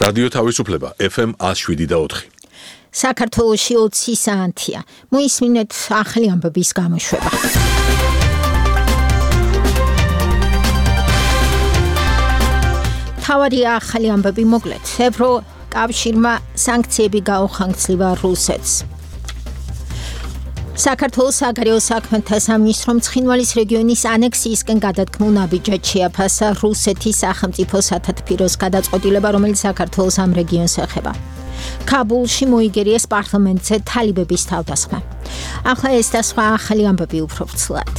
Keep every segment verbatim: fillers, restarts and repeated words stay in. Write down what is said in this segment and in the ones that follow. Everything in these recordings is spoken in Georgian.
რადიო თავისუფლება F M one oh seven და four. საქართველოში ოცი საათია. მოისმინეთ ახალი ამბების გამოშვება. თავარია ახალი ამბები მოკლედ. ევროკავშირმა სანქციები გაუხანგცლივა რუსეთს. საქართველოს საგარეო საქმეთა სამინისტრომ ცხინვალის რეგიონის ანექსიისკენ გადადგმულ ნაბიჯად შეაფასა რუსეთის სახელმწიფო სათათბიროს გადაწყვეტილება, რომელიც საქართველოს ამ რეგიონს ეხება. კაბულში მოიგერიეს პარლამენტზე თალიბების თავდასხმა. ახლა ეს და სხვა ახალი ამბები უფრო ვრცლად.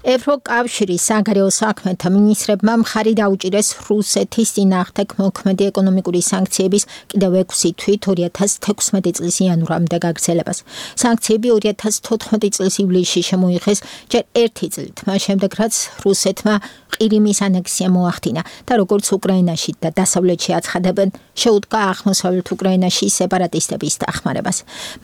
ევროკავშირის საგარეო საქმეთა მინისტრებმა მხარი დაუჭირეს რუსეთის წინააღმდეგ მოქმედი ეკონომიკური სანქციების კიდევ ექვსი თვით ორი ათას თექვსმეტი წლის იანვრამდე გაგრძელებას. სანქციები ორი ათას თოთხმეტი წლის ივლისში შემოიღეს ჯერ ერთი წლით, მას შემდეგ რაც რუსეთმა ყირიმის ანექსია მოახდინა და როგორც უკრაინაში და დასავლეთში აცხადებენ, შეუდგა აღმოსავლეთ უკრაინაში სეპარატისტების დახმარებას.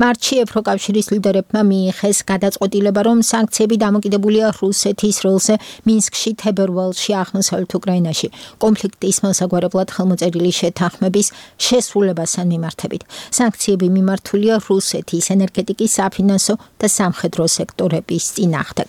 მარტში ევროკავშირის ლიდერებმა მიიღეს გადაწყვეტილება, რომ სანქციები დამოკიდებულია რუსეთის როლზე მინსკში, თებერვალში, აღმოსავლეთ უკრაინაში კონფლიქტის მოსაგვარებლად ხელმოწერილი შეთანხმების შესრულებასთან მიმართებით. სანქციები მიმართულია რუსეთის ენერგეტიკის, საფინანსო და სამხედრო სექტორების წინააღმდეგ.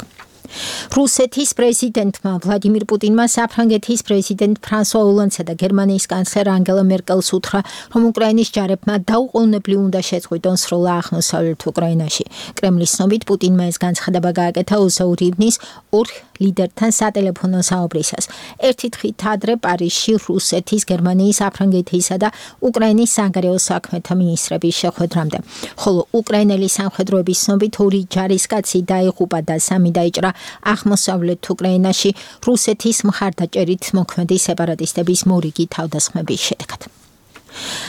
რუსეთის პრეზიდენტმა ვლადიმირ პუტინმა საფრანგეთის პრეზიდენტ ფრანსუა ოლანდსა და გერმანიის კანცლერ ანგელა მერკელს უთხრა, რომ უკრაინის ჯარებმა დაუყოვნებლივ უნდა შეწყვიტონ სროლა აღმოსავლეთ უკრაინაში. კრემლის ცნობით პუტინმა ეს განცხადება გააკეთა ოსაურივნის ორ ლიდერთან სატელეფონო საუბრისას. ერთი დღით ადრე პარიზში რუსეთის, გერმანიის, საფრანგეთისა და უკრაინის საგარეო საქმეთა მინისტრების შეხვედრამდე. ხოლო უკრაინელი სამხედროების ცნობით ორი ჯარისკაცი დაიღუპა და სამი დაიჭრა აღმოსავლეთ უკრაინაში რუსეთის მხარდაჭერით მოქმედი სეპარატისტების მორიგი თავდასხმების შედეგად.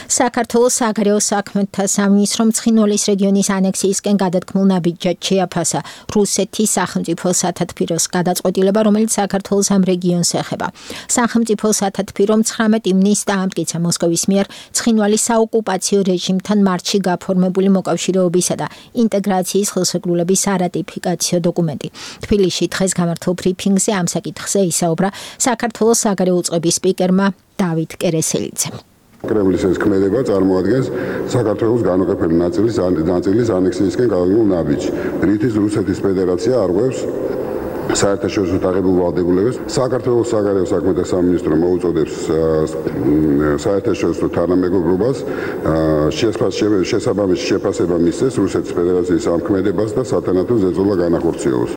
საქართველოს საგარეო საქმეთა სამინისტრომ ცხინვალის რეგიონის ანექსიისკენ გადადგმულ ნაბიჯად შეაფასა რუსეთის სახელმწიფო სათათბიროს გადაწყვეტილება, რომელიც საქართველოს ამ რეგიონს ეხება. სახელმწიფო სათათბირომ ცხრამეტ ივნისს დაამტკიცა მოსკოვის მიერ ცხინვალის საოკუპაციო რეჟიმთან მარტში გაფორმებული მოკავშირეობისა და ინტეგრაციის ხელშეკრულების არატიფიკაციო დოკუმენტი. თბილისში დღეს გამართულ ბრიფინგზე ამ საკითხზე ისაუბრა საქართველოს საგარეო უწყების სპიკერმა დავით კერესელიძემ. კრემლის ეს ქმედება წარმოადგენს საქართველოს განუყოფელი ნაწილის ნაწილის ანექსიისკენ გადადგმულ ნაბიჯს, რითიც რუსეთის ფედერაცია არღვევს საერთაშორისო დაღებულ ვალდებულებას. საქართველოს საგარეო საქმეთა სამინისტრო მოუწოდებს საერთაშორისო თანამეგობრობას შესაბამისი შეფასება მისცეს რუსეთის ფედერაციის ამ ქმედებას და სათანადო ზეწოლა განახორციელოს.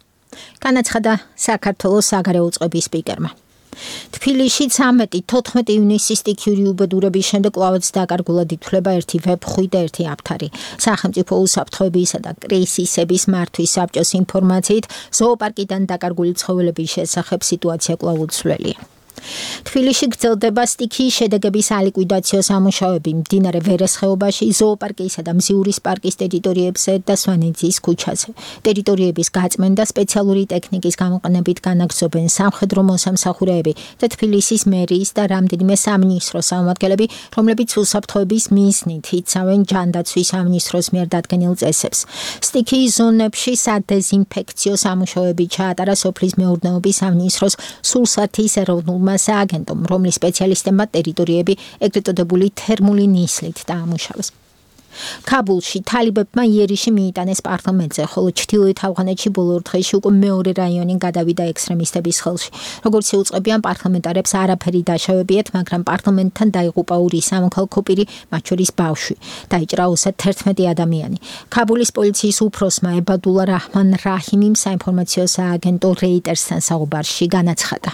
განაცხადა საქართველოს საგარეო უწყების სპიკერმა. თბილისში ცამეტი თოთხმეტი ივნისის სტიქიური უბედურების შემდეგ კვლავაც დაკარგულად ითვლება ერთი ვებხვი და ერთი აფთარი. სახელმწიფო უსაფრთხოებისა და კრიზისების მართვის საბჭოს ინფორმაციით, ზოოპარკიდან დაკარგული ცხოველების შესახებ სიტუაცია კვლავ უცვლელია. თბილისში გრძელდება სტიქიის შედეგების ალიკვიდაციო სამუშაოები მდინარე ვერეს ხეობაში, ზოოპარკისა და მზიურის პარკის ტერიტორიებზე და სვანეთის ქუჩაზე. ტერიტორიების გაწმენდა სპეციალური ტექნიკის გამოყენებით განაგრძობენ სამხედრო მოსამსახურეები და თბილისის მერიის და რამდენიმე სამინისტროს წარმომადგენლები, რომლებიც უსაფრთხოების მიზნით იცავენ ჯანდაცვის სამინისტროს მიერ დადგენილ წესებს. სტიქიის ზონებში სადეზინფექციო სამუშაოები ჩაატარა სოფლის მეურნეობის სამინისტროს სულსათის ეროვნულმა სააგენტომ, რომლის სპეციალისტებმა ტერიტორიები ეგრეთ წოდებული თერმული ნისლით დაამუშავეს. კაბულში თალიბებმა იერიში მიიტანეს პარლამენტზე, ხოლო ჩრდილოეთ ავღანეთში ბოლო დღეში უკვე მეორე რაიონი გადავიდა ექსტრემისტების ხელში. როგორც შეუწყებიან პარლამენტარებს არაფერი დაშავებიათ, მაგრამ პარლამენტთან დაიღუპა ორი სამოქალაქო პირი, მათ შორის ბავშვი. დაიჭრა ოცდაერთმეტი ადამიანი. კაბულის პოლიციის უფროსმა ებადულა რაჰმან რაჰიმიმ საინფორმაციო სააგენტო რეიტერსთან საუბარში განაცხადა.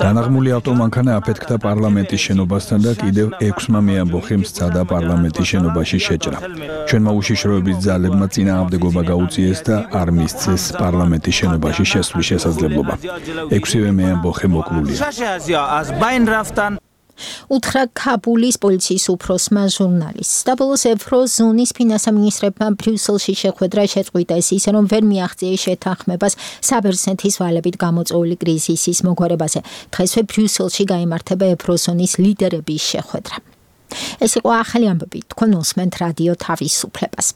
განაღმული ავტომანქანა აფეთქდა პარლამენტის შენობასთან და კიდევ ექვსმა მეამბოხემ სცადა პარლამენტის შენობაში შეჭრა. ჩვენმა უშიშროების ძალებმა წინააღმდეგობა გაუწიეს და არ მისცეს პარლამენტის შენობაში შესვლის შესაძლებლობა. ექვსივე მეამბოხე მოკლულია. უთხრა კაბულის პოლიციის უფროსმა ჟურნალისტს. და ბოლოს ევროზონის ფინანსთა მინისტრებმა ბრიუსელში შეხვედრა შეწყვიტეს ისე, რომ ვერ მიაღწიეს შეთანხმებას საბერძნეთის ვალებით გამოწვეული კრიზისის მოგვარებაზე. დღესვე ბრიუსელში გაიმართება ევროზონის ლიდერების შეხვედრა. ეს იყო ახალი ამბები. თქვენ უსმენთ რადიო თავისუფლებას.